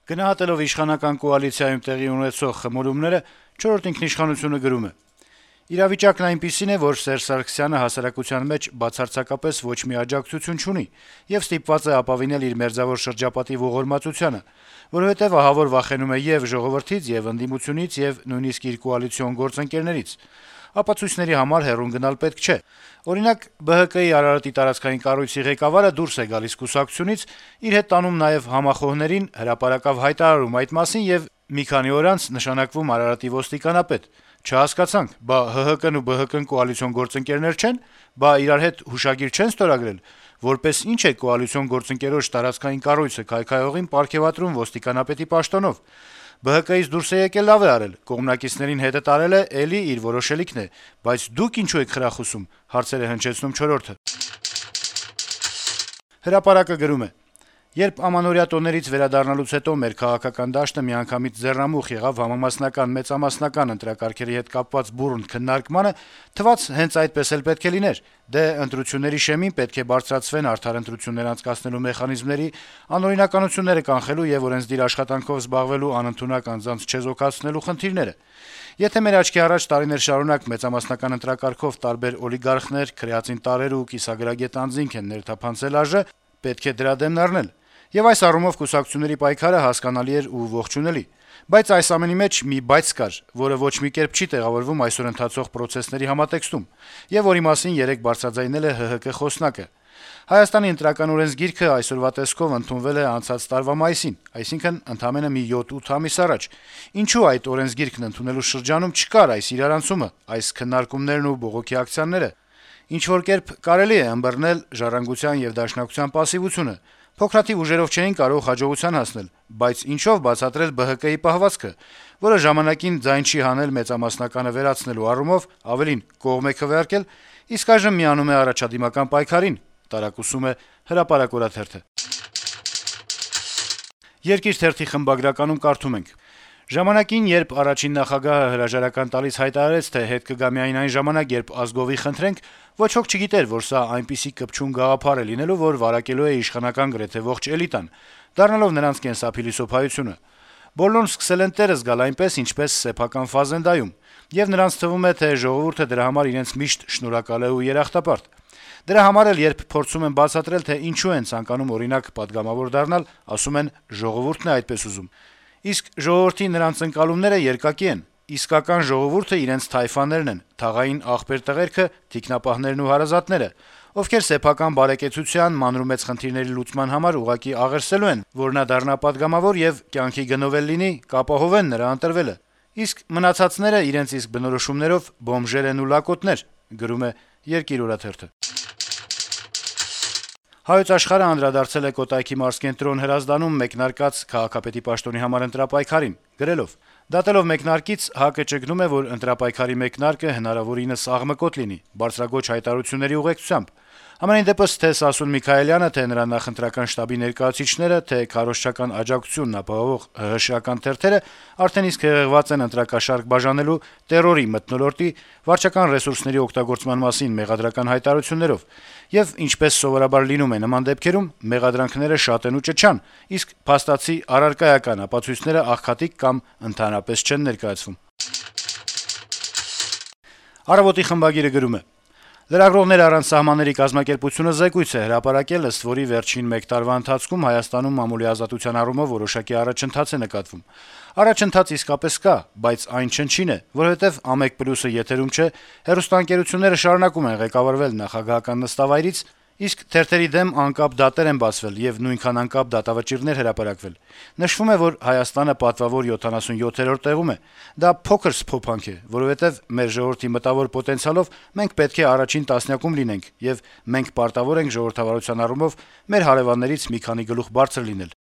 Գնահատելով իշխանական կոալիցիայում տեղի ունեցող խմորումները, «Չորրորդ ինքնիշխանություն»-ը գրում է. - «Իրավիճակն այնպիսին է, որ Սերժ Սարգսյանը հասարակության մեջ բացարձակապես ոչ մի աջակցություն չունի եւ ստիպված է ապավինել իր մերձավոր շրջապատի ողորմածությանը, որովհետեւ ահավոր վախենում է եւ ժողովրդից, եւ ընդդիմությունից, եւ նույնիսկ իր կոալիցիոն գործընկերներից: Ապացույցների համար հեռուն գնալ պետք չէ: Օրինակ, ԲՀԿ-ի Արարատի տարածքային կառույցի ղեկավարը դուրս է գալիս կուսակցությունից, իր հետ տանում նաեւ համախոհներին, հրապարակավ հայտարարում այդ մասին եւ մի քանի օր անց նշանակվում Արարատի ոստիկանապետ: Չհասկացանք, բա ՀՀԿ-ն ու ԲՀԿ-ն կոալիցիոն գործընկերներ չե՞ն, բա իրար հետ հուշագիր չեն ստորագրել: Որպես ի՞նչ է կոալիցիոն գործընկերոջ տարածքային կառույցը քայքայողին պարգեւատրում ոստիկանապետի պաշտոնով: ԲՀԿ-ից դուրս է եկել, լավ է արել, կողմնակիցներին հետը տարել է, էլի իր որոշելիքն է, բայց դուք ինչու եք խրախուսում»: Հարցեր է հնչեցնում «Չորրորդը»: «Հրապարակ»-ը գրում է. - «Երբ ամանորյա տոներից վերադառնալուց հետո մեր քաղաքական դաշտը միանգամից ձեռնամուխ եղավ համամասնական-մեծամասնական ընտրակարգերի հետ կապված բուռն քննարկմանը, թվաց հենց այդպես էլ պետք է լիներ: Դե, ընտրությունների շեմին պետք է բարձրացվեն արդար ընտրություններ անցկացնելու մեխանիզմների, անօրինականությունները կանխելու եւ օրենսդիր աշխատանքով զբաղվելու անընդունակ անձանց չեզոքացնելու խնդիրները: Եթե մեր աչքի առաջ տարիներ շարունակ մեծամասնական ընտրակարգով տարբեր օլիգարխներ, քրեածին տարրեր ու կիսագրագետ անձինք են ներթափանցել ԱԺ, պետք է դրա դեմն առնել: Եվ այս առումով կուսակցությունների պայքարը հասկանալի էր ու ողջունելի: Բայց այս ամենի մեջ մի բայց կար, որը ոչ մի կերպ չի տեղավորվում այսօր ընթացող պրոցեսների համատեքստում, եւ որի մասին երեկ բարձրաձայնել է ՀՀԿ խոսնակը: Հայաստանի ընտրական օրենսգիրքը այսօրվա տեսքով ընդունվել է անցած տարվա մայիսին, այսինքն ընդամենը մի 7-8 ամիս առաջ: Ինչու այդ օրենսգիրքն ընդունելու շրջանում չկար այս իրարանցումը, այս քննարկումներն ու բողոքի ակցիաները: Ինչ-որ կերպ կարելի է ըմբռնել «Ժառանգության» եւ «Դաշնակցության» պասիվությունը: Փոքրաթիվ ուժերով չէին կարող հաջողության հասնել, բայց ինչո՞վ բացատրել ԲՀԿ-ի պահվածքը, որը ժամանակին ձայն չի հանել մեծամասնականը վերացնելու առումով, ավելին` կողմ է քվեարկել, իսկ այժմ միանում է առաջադիմական պայքարին»: Տարակուսում է «Հրապարակ» օրաթերթը: «Երկիր» թերթի խմբագրականում կարդում ենք. - «Ժամանակին, երբ առաջին նախագահը հրաժարական տալիս հայտարարեց, թե հետ կգա միայն այն ժամանակ, երբ ազգովի խնդրենք, ոչ ոք չգիտեր, որ սա այնպիսի կպչուն գաղափար է լինելու, որ վարակելու է իշխանական գրեթե ողջ էլիտան, դառնալով նրանց կենսափիլիսոփայությունը: Բոլորն սկսել են տերը զգալ այնպես, ինչպես սեփական ֆազենդայում, եւ նրանց թվում է, թե ժողովուրդը դրա համար իրենց միշտ շնորհակալ է ու երախտապարտ: Դրա համար էլ, երբ փորձում են բացատրել, թե ինչու են ցանկանում, օրինակ, պատգամավոր դառնալ, ասում են` ժողովուրդն է այդպես ուզում: Իսկ ժողովրդի նրանց ընկալումները երկակի են: Իսկական ժողովուրդը իրենց թայֆաներն են, թաղային ախպեր-տղերքը, թիկնապահներն ու հարազատները, ովքեր սեփական բարեկեցության, մանրումեծ խնդիրների լուծման համար ուղղակի աղերսելու են, որ նա դառնա պատգամավոր եւ կյանքի գնով էլ լինի, կապահովեն նրա ընտրվելը: Իսկ մնացածները իրենց իսկ բնորոշումներով բոմժեր են ու լակոտներ»: «Հայոց Աշխարհ»-ը անդրադարձել է Կոտայքի մարզկենտրոն Հրազդանում մեկնարկած քաղաքապետի պաշտոնի համար ընտրապայքարին, գրելով. - «Դատելով մեկնարկից, ՀԱԿ-ը ճգնում է, որ ընտրապայքարի մեկնարկը հնարավորինս աղմկոտ լինի, բարձրաձոչ հայտարարությունների ուղեկցությամբ: Համենայն դեպս, թե Սասուն Միքայելյանը, թե նրա նախընտրական շտաբի ներկայացուցիչները, թե քարոզչական աջակցությունն ապահովող ՀՀՇ-ական թերթերը արդեն իսկ հեղեղված են ընտրակաշառք բաժանելու, տեռորի մթնոլորտի, վարչական ռեսուրսների օգտագործման մասին մեղադրական հայտարարություններով: Եվ, ինչպես սովորաբար լինում է նման դեպքերում, մեղադրանքները շատ են ու ճչան, իսկ փաստացի առարկայական ապացույցները աղքատիկ կամ ընդհանրապես չեն ներկայացվում»: «Առավոտ»-ի խմբագիրը գրում է. - «Լրագրողներ առանց սահմանների կազմակերպությունը զեկույց է հրապարակել, ըստ որի վերջին մեկ տարվա ընթացքում Հայաստանում մամուլի ազատության առումով որոշակի առաջընթաց է նկատվում: Առաջընթաց իսկապես կա, բայց այն չնչին է, որովհետեւ «1+»-ը եթերում չէ, հեռուստաընկերությունները շարունակում են ղեկավարվել նախագահական նստավայրից, իսկ թերթերի դեմ անկապ դատեր են բացվել եւ նույնքան անկապ դատավճիռներ հրապարակվել: Նշվում է, որ Հայաստանը պատվավոր 77-րդ տեղում է: Դա փոքր սփոփանք է, որովհետեւ մեր ժողովրդի մտավոր պոտենցիալով մենք պետք է առաջին տասնյակում լինենք, եւ մենք պարտավոր ենք ժողովրդավարության առումով մեր հարեւաններից մի քանի գլուխ բարձր լինել»: